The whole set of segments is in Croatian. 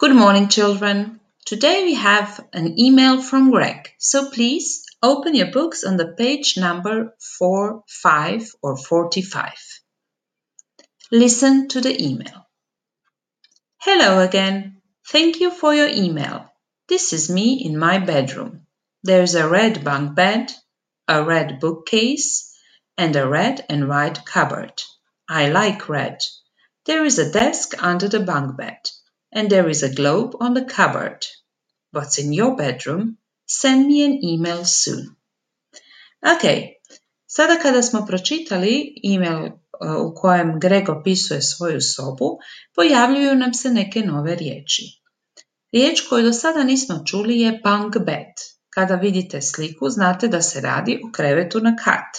Good morning, children. Today we have an email from Greg, so please open your books on the page number 45 or 45. Listen to the email. Hello again. Thank you for your email. This is me in my bedroom. There's a red bunk bed, a red bookcase, and a red and white cupboard. I like red. There is a desk under the bunk bed, and there is a globe on the cupboard. What's in your bedroom? Send me an email soon. Ok, sada kada smo pročitali email u kojem Greg opisuje svoju sobu, pojavljuju nam se neke nove riječi. Riječ koju do sada nismo čuli je bunk bed. Kada vidite sliku, znate da se radi o krevetu na kat.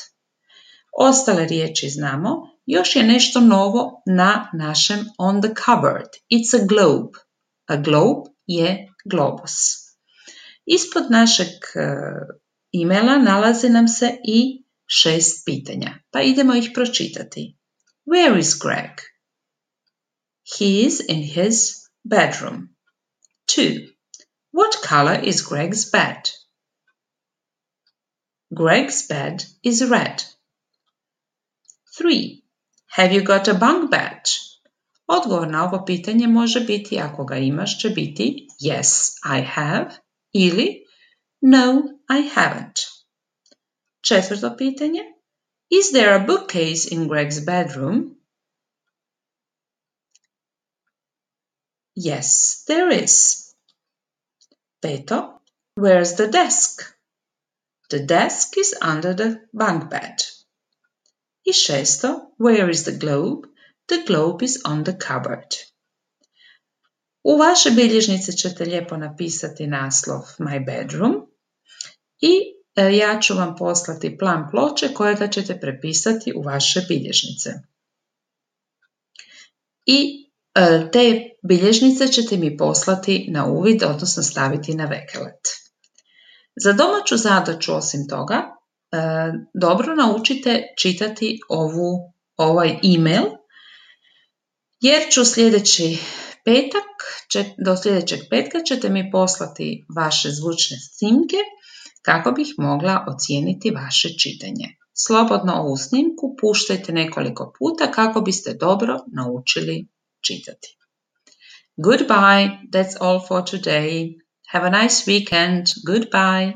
Ostale riječi znamo, još je nešto novo na našem on the cupboard. It's a globe. A globe je globus. Ispod našeg e-maila nalazi nam se i 6 pitanja, pa idemo ih pročitati. Where is Greg? He is in his bedroom. 2. What color is Greg's bed? Greg's bed is red. 3. Have you got a bunk bed? Odgovor na ovo pitanje može biti, ako ga imaš, će biti yes, I have ili no, I haven't. 4. pitanje. Is there a bookcase in Greg's bedroom? Yes, there is. 5. Where's the desk? The desk is under the bunk bed. I 6. Where is the globe? The globe is on the cupboard. U vaše bilježnice ćete lijepo napisati naslov My bedroom i ja ću vam poslati plan ploče kojega ćete prepisati u vaše bilježnice. I te bilježnice ćete mi poslati na uvid, odnosno staviti na Veklet. Za domaću zadaću osim toga, dobro naučite čitati ovaj e-mail, jer ću do sljedećeg petka ćete mi poslati vaše zvučne snimke kako bih mogla ocijeniti vaše čitanje. Slobodno ovu snimku puštajte nekoliko puta kako biste dobro naučili čitati. Goodbye, that's all for today. Have a nice weekend. Goodbye.